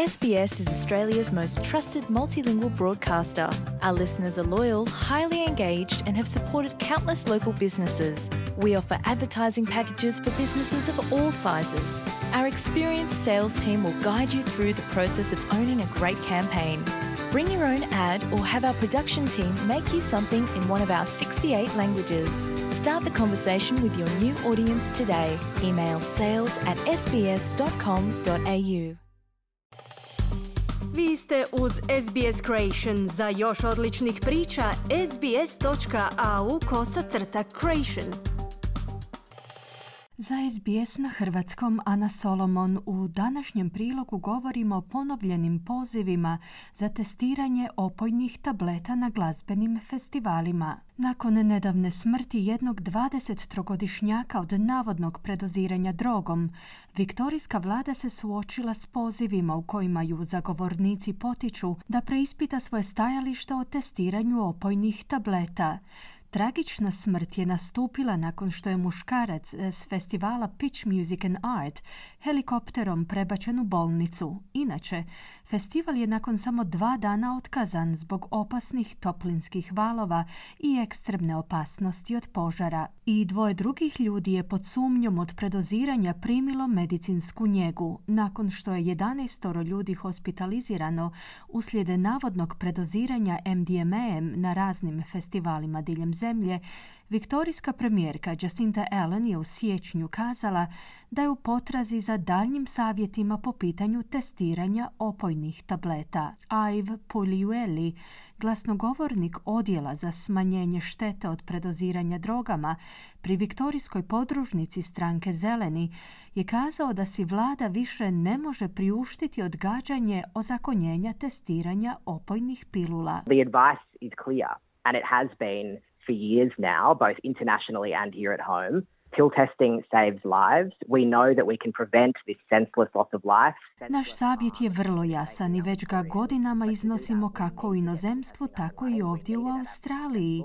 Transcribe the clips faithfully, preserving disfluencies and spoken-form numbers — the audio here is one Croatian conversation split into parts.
S B S is Australia's most trusted multilingual broadcaster. Our listeners are loyal, highly engaged, and have supported countless local businesses. We offer advertising packages for businesses of all sizes. Our experienced sales team will guide you through the process of owning a great campaign. Bring your own ad or have our production team make you something in one of our sixty-eight languages. Start the conversation with your new audience today. Email sales at s b s dot com dot a u. Vi ste uz S B S Creation. Za još odličnih priča, sbs.au kosacrta creation. Za S B S na hrvatskom Ana Solomon. U današnjem prilogu govorimo o ponovljenim pozivima za testiranje opojnih tableta na glazbenim festivalima. Nakon nedavne smrti jednog dvadesettrogodišnjaka od navodnog predoziranja drogom, viktorijska vlada se suočila s pozivima u kojima ju zagovornici potiču da preispita svoje stajalište o testiranju opojnih tableta. Tragična smrt je nastupila nakon što je muškarac s festivala Pitch Music and Art helikopterom prebačen u bolnicu. Inače, festival je nakon samo dva dana otkazan zbog opasnih toplinskih valova i ekstremne opasnosti od požara. I dvoje drugih ljudi je pod sumnjom od predoziranja primilo medicinsku njegu. Nakon što je jedanaestoro ljudi hospitalizirano uslijed navodnog predoziranja M D M A-em na raznim festivalima diljem zemlje, viktorijska premijerka Jacinta Allen je u siječnju kazala da je u potrazi za daljnjim savjetima po pitanju testiranja opojnih tableta. Ive Pugliueli, glasnogovornik odjela za smanjenje štete od predoziranja drogama pri viktorijskoj podružnici stranke Zeleni, je kazao da si vlada više ne može priuštiti odgađanje ozakonjenja testiranja opojnih pilula. The advice is clear and it has been for years now, both internationally and here at home. Pill testing saves lives. We know that we can prevent this senseless loss of life. Naš savjet je vrlo jasan i već ga godinama iznosimo kako u inozemstvu, tako i ovdje u Australiji.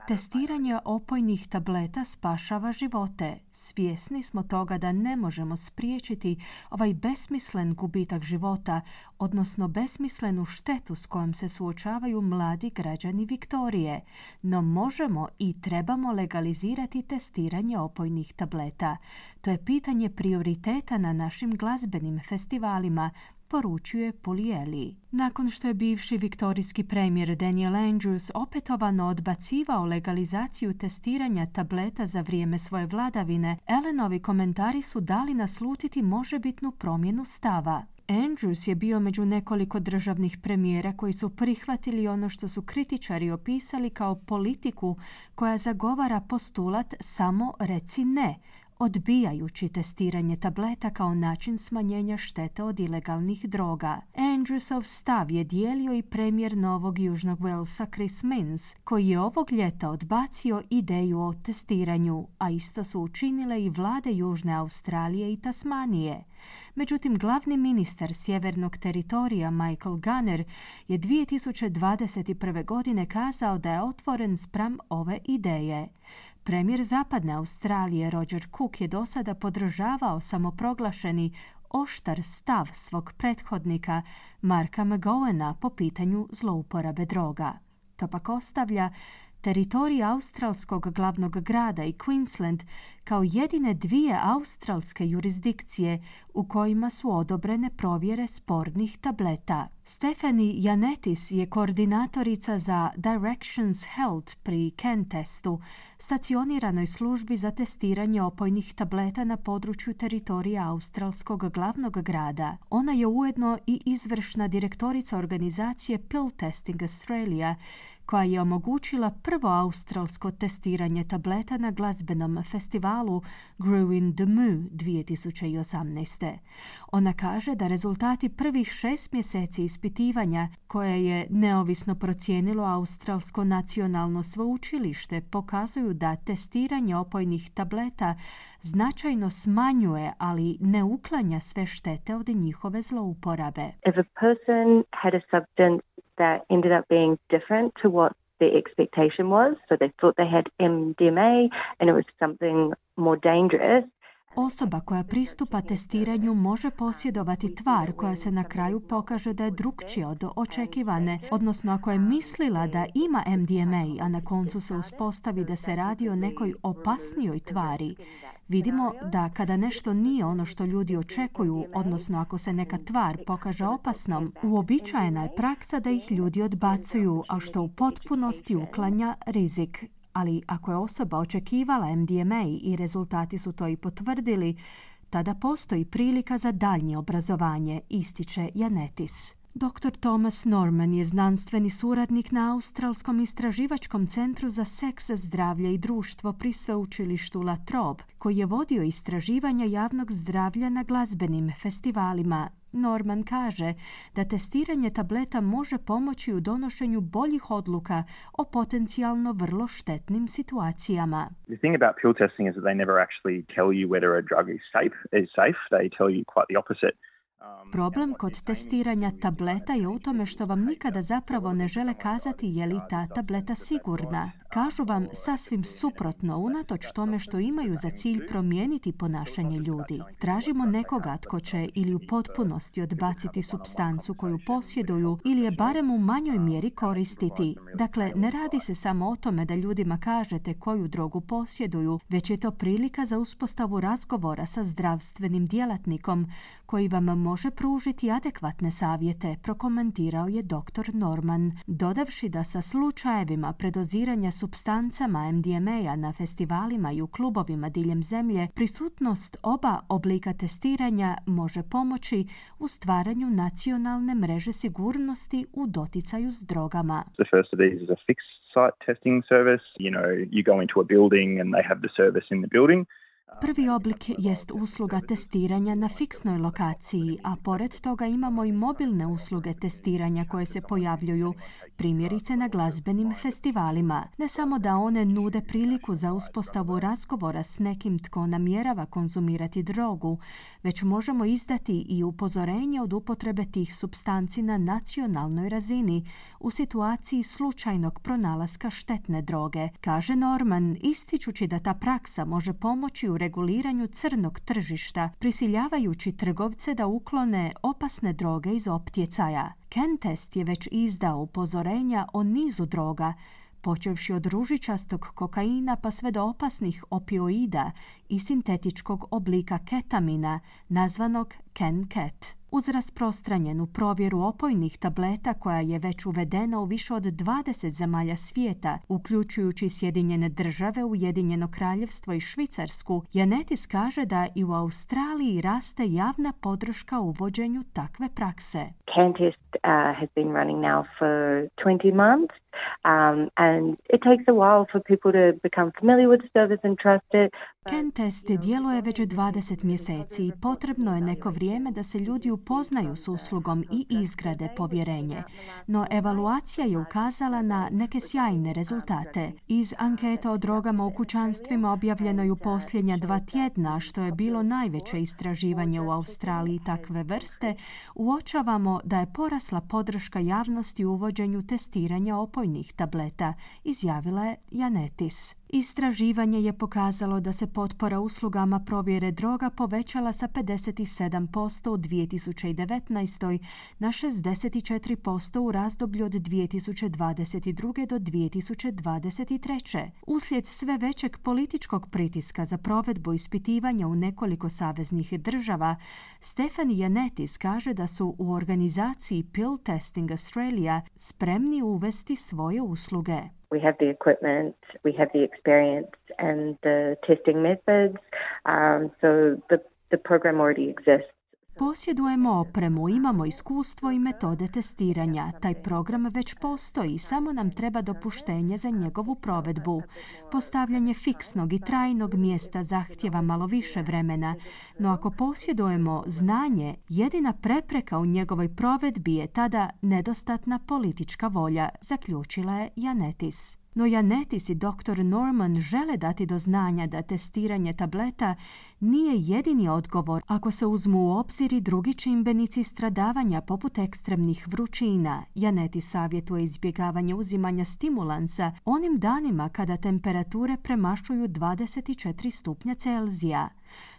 Testiranje opojnih tableta spašava živote. Svjesni smo toga da ne možemo spriječiti ovaj besmislen gubitak života, odnosno besmislenu štetu s kojom se suočavaju mladi građani Viktorije. No možemo i trebamo legalizirati testiranje opojnih tableta. To je pitanje prioriteta na našim glazbenim festivalima, poručuje Pugliueli. Nakon što je bivši viktorijski premijer Daniel Andrews opetovano odbacivao legalizaciju testiranja tableta za vrijeme svoje vladavine, Allenovi komentari su dali naslutiti možebitnu promjenu stava. Andrews je bio među nekoliko državnih premijera koji su prihvatili ono što su kritičari opisali kao politiku koja zagovara postulat samo reci ne, odbijajući testiranje tableta kao način smanjenja štete od ilegalnih droga. Andrewsov stav je dijelio i premijer Novog Južnog Walesa Chris Minns, koji je ovog ljeta odbacio ideju o testiranju, a isto su učinile i vlade Južne Australije i Tasmanije. Međutim, glavni ministar sjevernog teritorija Michael Gunner je dvije tisuće dvadeset prve. godine kazao da je otvoren spram ove ideje. Premijer Zapadne Australije Roger Cook je do sada podržavao samoproglašeni oštar stav svog prethodnika Marka McGowana po pitanju zlouporabe droga. To pak ostavlja teritorij australskog glavnog grada i Queensland kao jedine dvije australske jurisdikcije u kojima su odobrene provjere spornih tableta. Stephanie Janetis je koordinatorica za Directions Health pri Kentestu, stacioniranoj službi za testiranje opojnih tableta na području teritorija australskog glavnog grada. Ona je ujedno i izvršna direktorica organizacije Pill Testing Australia, koja je omogućila prvo australsko testiranje tableta na glazbenom festivalu Grew in the Moo dvije tisuće osamnaeste. Ona kaže da rezultati prvih šest mjeseci ispitivanja, koje je neovisno procijenilo Australsko nacionalno sveučilište, pokazuju da testiranje opojnih tableta značajno smanjuje, ali ne uklanja sve štete od njihove zlouporabe. If a person had a substance that ended up being different to what their expectation was, so they thought they had M D M A and it was something more dangerous. Osoba koja pristupa testiranju može posjedovati tvar koja se na kraju pokaže da je drukčija od očekivane, odnosno ako je mislila da ima em de em a, a na koncu se uspostavi da se radi o nekoj opasnijoj tvari. Vidimo da kada nešto nije ono što ljudi očekuju, odnosno ako se neka tvar pokaže opasnom, uobičajena je praksa da ih ljudi odbacuju, a što u potpunosti uklanja rizik. Ali ako je osoba očekivala em de em a i rezultati su to i potvrdili, tada postoji prilika za daljnje obrazovanje, ističe Ioannidis. doktor Thomas Norman je znanstveni suradnik na Australskom istraživačkom centru za seks, zdravlje i društvo pri sveučilištu La Trobe, koji je vodio istraživanja javnog zdravlja na glazbenim festivalima. Norman kaže da testiranje tableta može pomoći u donošenju boljih odluka o potencijalno vrlo štetnim situacijama. The thing about pill testing is that they never actually tell you whether a drug is safe. Is safe. They tell you quite the opposite. Problem kod testiranja tableta je u tome što vam nikada zapravo ne žele kazati je li ta tableta sigurna. Kažu vam sasvim suprotno, unatoč tome što imaju za cilj promijeniti ponašanje ljudi. Tražimo nekoga tko će ili u potpunosti odbaciti supstancu koju posjeduju ili je barem u manjoj mjeri koristiti. Dakle, ne radi se samo o tome da ljudima kažete koju drogu posjeduju, već je to prilika za uspostavu razgovora sa zdravstvenim djelatnikom koji vam može pružiti adekvatne savjete, prokomentirao je doktor Norman, dodavši da sa slučajevima predoziranja supstancama em de em a na festivalima i u klubovima diljem zemlje, prisutnost oba oblika testiranja može pomoći u stvaranju nacionalne mreže sigurnosti u doticaju s drogama. The first of these is a fixed site testing service. You know, you go into a building and they have the service in the building. Prvi oblik jest usluga testiranja na fiksnoj lokaciji, a pored toga imamo i mobilne usluge testiranja koje se pojavljuju, primjerice na glazbenim festivalima. Ne samo da one nude priliku za uspostavu razgovora s nekim tko namjerava konzumirati drogu, već možemo izdati i upozorenje od upotrebe tih supstanci na nacionalnoj razini u situaciji slučajnog pronalaska štetne droge, kaže Norman, ističući da ta praksa može pomoći u reguliranju crnog tržišta, prisiljavajući trgovce da uklone opasne droge iz optjecaja. Kentest je već izdao upozorenja o nizu droga, počevši od ružičastog kokaina pa sve do opasnih opioida i sintetičkog oblika ketamina, nazvanog Ken-Ket. Uz rasprostranjenu provjeru opojnih tableta koja je već uvedena u više od dvadeset zemalja svijeta, uključujući Sjedinjene države, Ujedinjeno kraljevstvo i Švicarsku, Ioannidis kaže da i u Australiji raste javna podrška uvođenju takve prakse. Kentest uh, has been running now for twenty months. Um, and it takes a while for people to become familiar with the service and trust it. Kentest djeluje već dvadeset mjeseci i potrebno je neko vrijeme da se ljudi upoznaju s uslugom i izgrade povjerenje. No evaluacija je ukazala na neke sjajne rezultate. Iz anketa o drogama u kućanstvima objavljenoj u posljednja dva tjedna, što je bilo najveće istraživanje u Australiji takve vrste, uočavamo da je porasla podrška javnosti u uvođenju testiranja opojnih tableta, izjavila je Ioannidis. Istraživanje je pokazalo da se potpora uslugama provjere droga povećala sa pedeset sedam posto u dvije tisuće devetnaestoj na šezdeset četiri posto u razdoblju od dvije tisuće dvadeset druge do dvije tisuće dvadeset treće. Uslijed sve većeg političkog pritiska za provedbu ispitivanja u nekoliko saveznih država, Stefan Ioannidis kaže da su u organizaciji Pill Testing Australia spremni uvesti svoje usluge. We have the equipment, we have the experience and the testing methods, um, so the, the program already exists. Posjedujemo opremu, imamo iskustvo i metode testiranja. Taj program već postoji, samo nam treba dopuštenje za njegovu provedbu. Postavljanje fiksnog i trajnog mjesta zahtjeva malo više vremena, no ako posjedujemo znanje, jedina prepreka u njegovoj provedbi je tada nedostatna politička volja, zaključila je Ioannidis. No Ioannidis i doktor Norman žele dati do znanja da testiranje tableta nije jedini odgovor ako se uzmu u obzir i drugi čimbenici stradavanja poput ekstremnih vrućina. Ioannidis savjetuje izbjegavanje uzimanja stimulansa onim danima kada temperature premašuju dvadeset četiri stupnja Celzija.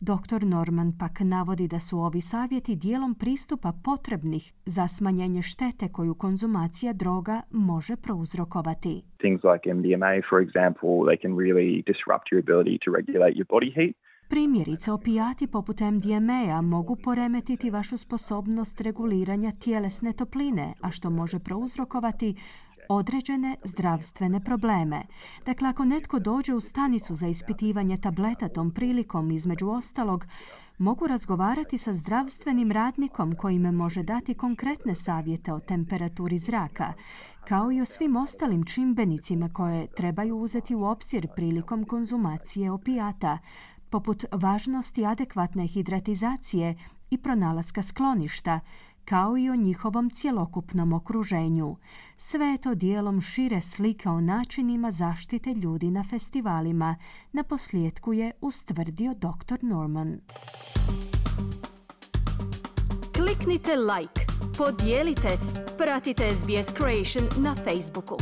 doktor Norman pak navodi da su ovi savjeti dijelom pristupa potrebnih za smanjenje štete koju konzumacija droga može prouzrokovati. Things like M D M A, for example, they can really disrupt your ability to regulate your body heat. Primjerice, opijati poput M D M A mogu poremetiti vašu sposobnost reguliranja tjelesne topline, a što može prouzrokovati određene zdravstvene probleme. Dakle, ako netko dođe u stanicu za ispitivanje tableta tom prilikom, između ostalog, mogu razgovarati sa zdravstvenim radnikom koji me može dati konkretne savjete o temperaturi zraka, kao i o svim ostalim čimbenicima koje trebaju uzeti u obzir prilikom konzumacije opijata, poput važnosti adekvatne hidratizacije i pronalaska skloništa, kao i o njihovom cjelokupnom okruženju. Sve je to dijelom šire slike o načinima zaštite ljudi na festivalima, naposljetku je ustvrdio doktor Norman. Kliknite like, podijelite, pratite S B S Creation na Facebooku.